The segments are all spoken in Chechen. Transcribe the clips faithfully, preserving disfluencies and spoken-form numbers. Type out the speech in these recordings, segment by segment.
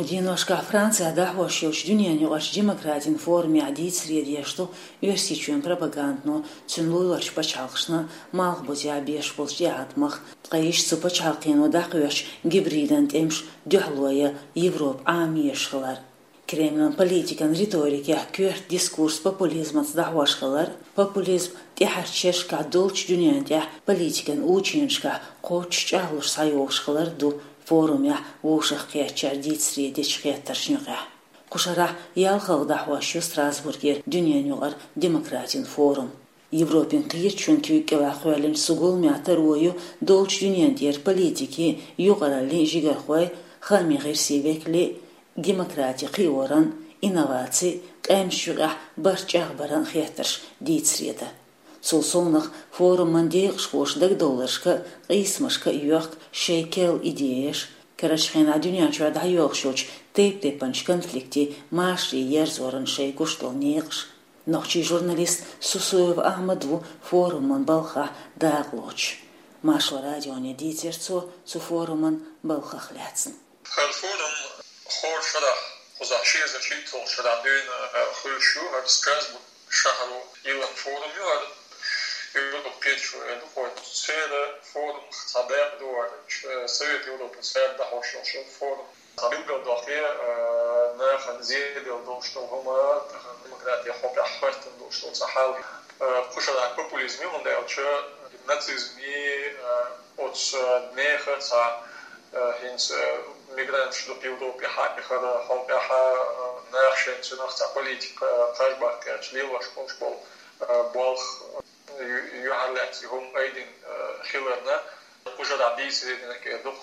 Дийношкахь Францехь дӀахьош йолчу дуьненаюкъарчу демократин форумехь дийцаре деш ду Оьрсийчоьнан пропагандано, цуьнан луларчу пачхьалкхашна, малхбузехь беш болчу тӀеӀаткъамах, ткъа иштта цу пачхьалкхено дӀакхоьхьучу гибридан тӀемаш дуьхьало ян Европа Ӏамош хилар. Кремлан политикан риторикехь коьрта дискурс популизмаца дӀахьош хилар, популизм тӀаьхьарчу шерашкахь долчу дуьнен тӀехь политикан ученашкахь кхоччуш чӀагӀлуш схьайогӀуш хилар ду форумехь вовшахкхеттачара дийцаре дечу хеттаршна юкъахь. Кху шарахь ялхалгӀа дӀахьош ю Страсбургера дуьненаюкъара демократин форум. Европин кхеташонан куьйга кӀелахь кхоьллинчу цу гуламехь таро ю долчу дуьнен тӀера политикийн, юкъараллин жигархой, хаамийн гӀирсийн векалийн, демократи кхиоран, инноваци, къаьмнаш юкъахь барт чӀагӀбаран хеттарш дийцаре дан. Цул совнаха форуман декъашхоша дагадовларшка а, къийсамашка а йоьхку шайн керла идеяш, карарчу хенахь дуьнен чохь дӀайоьлхуш йолчу тайп-тайпанчу конфликтийн машаре ерзоран шайн гуш долу некъаш. Нохчийн журналист Сусуев Ахьмад ву форуман балхахь дакъалоцуш. Маршо радионе дийцира цо цу форуман балхах лаьцна. ХӀара форум хӀора шарахь, кхузахь ши эзар шийтталгӀачу шарахь дуьйна, э, хуьлуш ю, хӀара Страсбург шахьаро йиллина форум ю хӀара, Европа кхеташо эр ду кхо. Церан форумах цхьа дакъа ду хӀара, э, Совет Европы цара дӀахьош йолуш йолу форум. Цхьа билгалдоккху, э, нахана зеделла долуш долу хӀума, тахана демократин хьокъехь хӀоьттина долуш долу цхьа хьал. Э, кху шарахь популизм ю, хӀунда аьлча нацизмий, э, оцу, э, нехан цхьа, э, хӀинца, э, мигранташ дукха Европе хьаихара хьокъехь, э, наха шайн цунах цхьа политика, э, кхаж баккхийтича лелош болуш болу, э, болх, э, ю-, юьхьарлаьцна хӀума айдина, э, хиларна, кху шарахь дийцаре динарг эр ду-кх.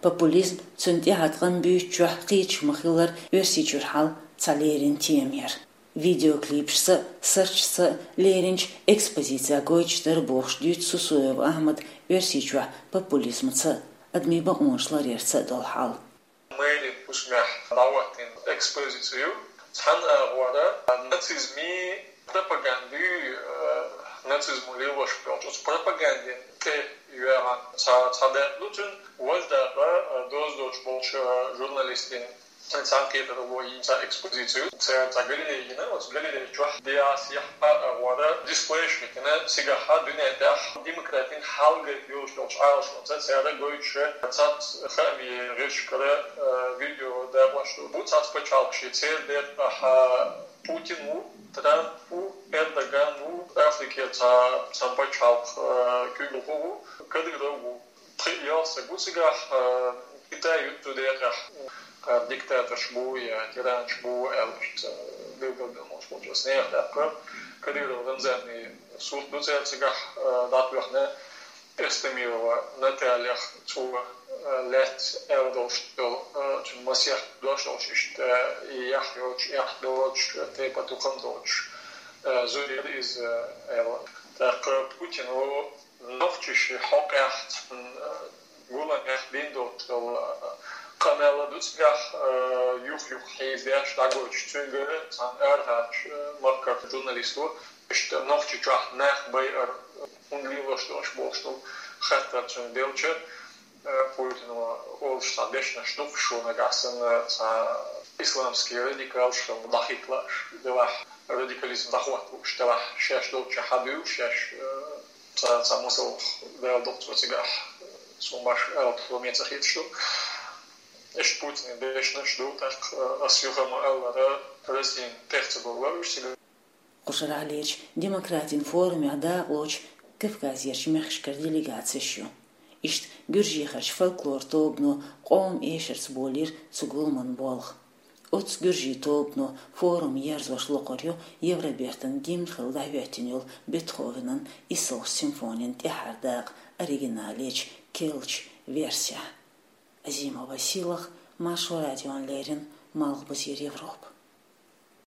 Популизм, цуьнан тӀаьхьа къам буьйцучохь кхеташ ма-хиллара, Оьрсийчуьра хьал цхьа леррина тема яра. Видеоклипашца, сарчашца лерринчу экспозицехь гойтуш дара бохуш дуьйцу Сусуев Ахьмада Оьрсийчохь популизмаца, адамийн бакъонаш ларъярца долу хьал. Мэрин хӀусамехь дӀахӀоттийна экспозици ю. Цхьана агӀора нацизмий пропагандий, э, нацизмо лелош болчу оцу пропагандин тӀе йоьгӀна цхьа, цхьа дакъа ду цуьнан, важа дакъа, э, доза доцуш болчу, э, журналистийн цхьаьнакхетаралло йина цхьа экспозици ю. Цара цхьа галерея йина, оцу галерея чохь дӀасехьа агӀора дисплейш хӀиттина, цигахь дуьнен тӀехь демократин хьал гайта йолуш йолчу Ӏалашонца цара гойтуш цхьацца хаамийн гӀирсашкара, э, видео дакъош ду. Бу цхьацца пачхьалкхаш, церан декъехь Путин ву, Трамп ву, Эрдоган ву, Африкера цхьа, цхьана пачхьалкхан, э, куьйгалхо ву, Кадыров ву. Пхи-ялх стаг ву цигахь, э, Китай ю цу декъехь, э, диктаторш бу я тиранаш бу аьлла, иштта билгалбелла болуш болчу нехан. ТӀаккха Кадыров Рамзанан сурт ду церан цигахь, э, дӀатоьхна, Эстемирова Натальях цо, э, лаьцна аьлла долуш долу, э, цуьнан масех дош долуш, иштта, э, и яхь йоцуш, яхь доцуш, тайпа-тукхам доцуш, э, зуда яра иза, э, аьлла. ТӀаккха Путино нохчийн хьокъехь цхьана, э, гуламехь бина долуш долу, э, къамел ду цигахь, э, юх-юха хьийзадеш дӀагойтуш, цуьнгара цхьана арахьарчу, э, махкара журналисто, иштта Нохчийчохь нах байар хӀунда лелош долуш болуш долу хаттар цуьнга делча, э, Путино олуш цхьа дешнаш ду-кх, шуна нагахь санна цхьа исламский радикалш хилла дӀахӀитталаш, делахь радикализм дӀахӀотталуш, делахь шаьш долчча хьан дуьйла шаьш, э, цхьа, цхьа масалх даьлла ду-кх цо цигахь, суна башха аьлла хӀума ца хеташ ду. Иштта Путина дешнаш ду, тӀаккха, э, ас юха ма-аллара, Россин тӀех ца бовла уьш цигахь. Кху шарахь лерчу демократин форумехь дакъалоцуш Кавказерчу мехкашкара делегацеш ю. Иштта гуьржехарчу фольклор тобано къоман эшарца болийра цу гуламан болх. Оццу гуьржийн тобано форум ерзош локхур ю Евробертан гимн хилла дӀахӀоьттина йолу Бетховенан иссалгӀачу симфонин тӀаьххьара дакъа оригиналечу, керлачу версехь. Азимова Сийлаха, Маршо радиона леррина, Малхбузера Европа.